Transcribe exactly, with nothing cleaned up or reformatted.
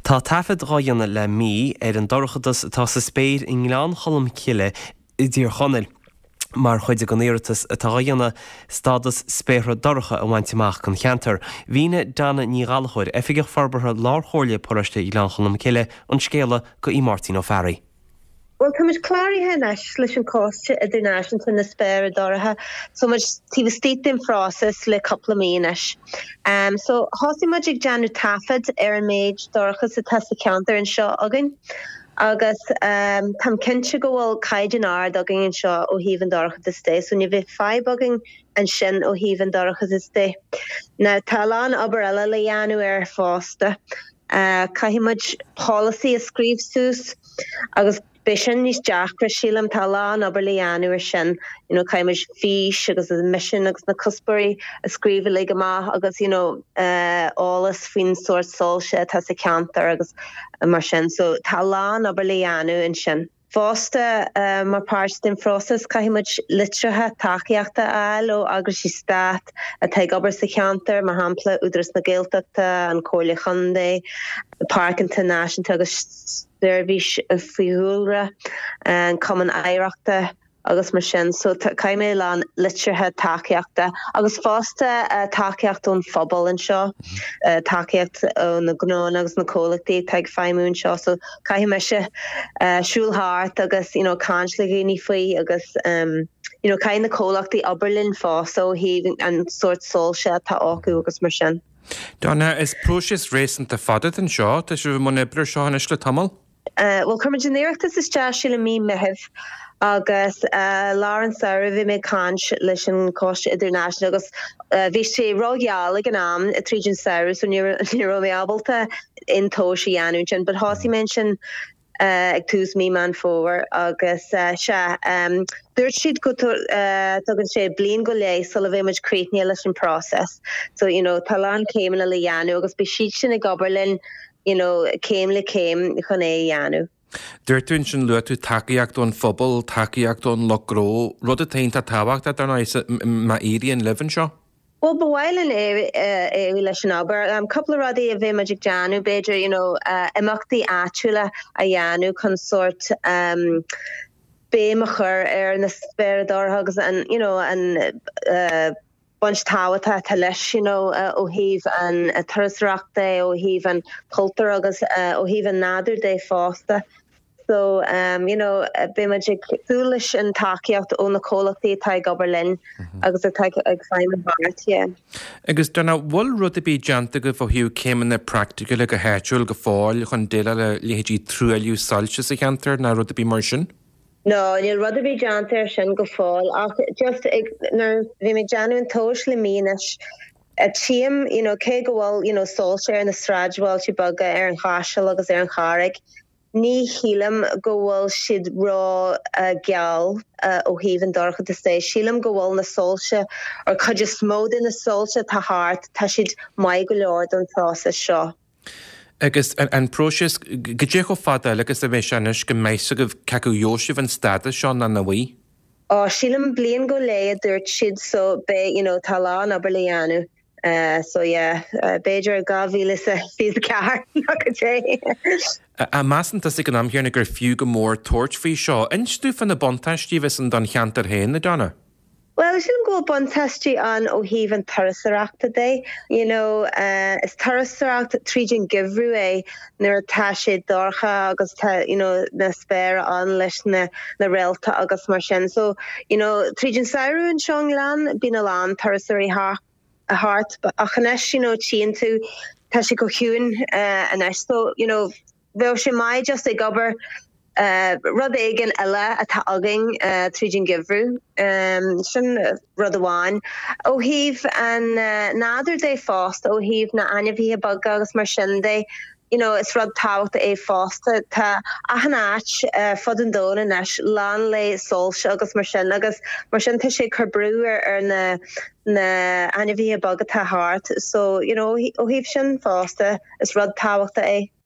Tá taifead á dhéanamh le mí ar an dorchadas atá sa spéir i nGleann Cholm Cille i dTír Chonaill. Mar chuid den iarratas atá á dhéanamh stádas spéartha dorcha a bhaint amach don cheantar. Mhínigh Donna Ní Ghallchóir, Oifigeach Forbartha Lárchomhairle Paróiste Ghleann Cholm Cille an scéal do Mháirtín Ó Fearraigh. Well tá muid cláraithe anois leis an Choiste Idirnáisiúnta na Spéire Dorcha, so muid taobh istigh den phróiseas le cúpla mí anois. Um, so thosaigh muid ag déanamh taifead ar an méid dorchas atá sa cheantar anseo againn. Agus um, Táim cinnte go bhfuil caighdeán ard againn anseo ó thaobh an dorchadas de, so ní bheidh fadhb againn ansin ó thaobh an dorchadas de. Now tá a lán obair eile le déanamh air fosta. Uh, Caithfidh muid policy a scríobh suas agus Beidh sin níos deacra sílim tá a lán obair le déanamh ar sin you know, caithfidh fís agus an misean agus na cuspóirí a scríobh le amach agus you know, uh, eolas faoin sórt soilse atá sa cheantar agus uh, mar sin, so tá a lán obair le déanamh ansin. Fosta uh, mar páirt den phróiseas caithfidh muid litreacha tacaíochta a fháil ó eagraíochtaí stáit atá ag obair sa cheantar mar shampla Údarás na Gaeltachta an Chomhairle Contae, Páirceanna Náisiúnta agus seirbhís fiadhúlra an Cumann Oidhreachta agus mar sin so caithfidh mé a lán litreacha tacaíochta agus fosta uh, tacaíocht ón phobal anseo uh, tacaíocht ó na gnónna agus na comhlachtaí atá ag feidhmiú anseo so caithfidh mise uh, siúl thart agus you know, caint le daoine faoi agus um, you know, caithfidh na comhlachtaí obair linn fosta ó thaobh an sórt soilse atá acu agus mar sin. Donna is próiseas réasúnta fada anseo tá sibh i mbun oibre seo anois le tamall? Uh, well chuir muid an t-iarratas isteach i mí Mheithimh agus uh, lár an tsamhraidh bhí mé ag caint leis an Choiste Idirnáisiúnta agus uh, bhí sé rógheal ag an am tríd an samhradh so ní raibh mé ábalta an tomhas a dhéanamh sin, but thosaigh mé sin uh, ag tús mí Meán Fómhair agus uh, sé um, dúirt siad go uh, tugann sé bliain go leith sula bheidh muid críochnaithe leis an process. So you know, tá a lán céimeanna le déanamh agus beidh siad sin ag obair linn you know, céim le céim chun é a dhéanamh. Dúirt tú ansin luaigh tú tacaíocht ón phobal, tacaíocht ón lucht gnó, rud atá iontach tábhachtach dar ndóigh má éiríonn libh anseo? Well ba mhaith linn é leis an obair. Um, cúpla rudaí a bheidh muid ag déanamh b'fhéidir you know, uh, imeachtaí áitiúla a dhéanamh chun sórt um, béim a chur ar na spéartha dorcha agus an you know, an uh, baint tábhachtach atá leis you know, uh, ó thaobh an uh, turasóireachta ó thaobh an cultúr agus uh, ó thaobh an nádúr de fosta. So um, you know, beidh muid ag súil leis an tacaíocht ó na comhlachtaí atá ag obair linn mm-hmm. agus atá ag feidhmiú thart. Yeah. Agus Donna bhfuil rud ar bith déanta agaibh ó thaobh céimeanna praiticiúla go háitiúil go fóill chun déileáil le leithéidí truailliú soilse sa cheantar ná rud ar bith mar sin? No, níl rud ar bith déanta ar sin go fóill ach just ag nuair bhí mé ag déanamh an tomhas le mí anois a tchím you know, cé go bhfuil you know, soilse ar na sráidbhailte beaga ar an Chaiseal agus ar an Charraig. Ní shílim go bhfuil siad ró uh, geal uh, ó thaobh an dorchadas de. Sílim go bhfuil na soilse ar chuid is mó de na soilse atá thart tá siad maith go leor don phróiseas seo. Agus an, an próiseas cad é chomh fada agus a bheidh sé anois go mbeidh agaibh cé acu gheobhaidh sibh an stádas seo nó nach bhfaighidh? Ó sílim bliain go leith a dúirt siad so be you know, tá a lán obair le déanamh. Uh, so yeah, uh, b'fhéidir dhá mhíle fiche ceathair go dté. A measann tú ag an am chéanna gur fiú go mór tabhairt faoi seo, Inis dúinn fá na buntáistí bheas ann don cheantar féin a Donna? Well sílim go bhfuil buntáistí ann ó thaobh an turasóireachta de. You know, uh, is turasóireacht tríd an geimhreadh é nuair atá sé dorcha agus tá you know, na spéire ann leis na, na réalta agus mar sin. So you know, tríd an samhradh anseo sa ghleann bíonn a lán turasóirí thart ach anois you know, tchíonn tú tá sé go ciúin uh, anois so you know, bheadh sé maith just ag obair uh, rud éigin eile atá againn uh, tríd an geimhreadh um, sin rud amháin. Ó thaobh an uh, nádúr de fosta ó thaobh na n-ainmhithe beaga agus mar sin de, you know, is rud tábhachtach é fosta tá achan áit uh, fud an domhain anois lán le soilse agus mar sin agus mar sin tá sé cur brú ar, ar na na ainmhithe beaga atá thart so you know, ó thaobh sin fosta is rud tábhachtach é.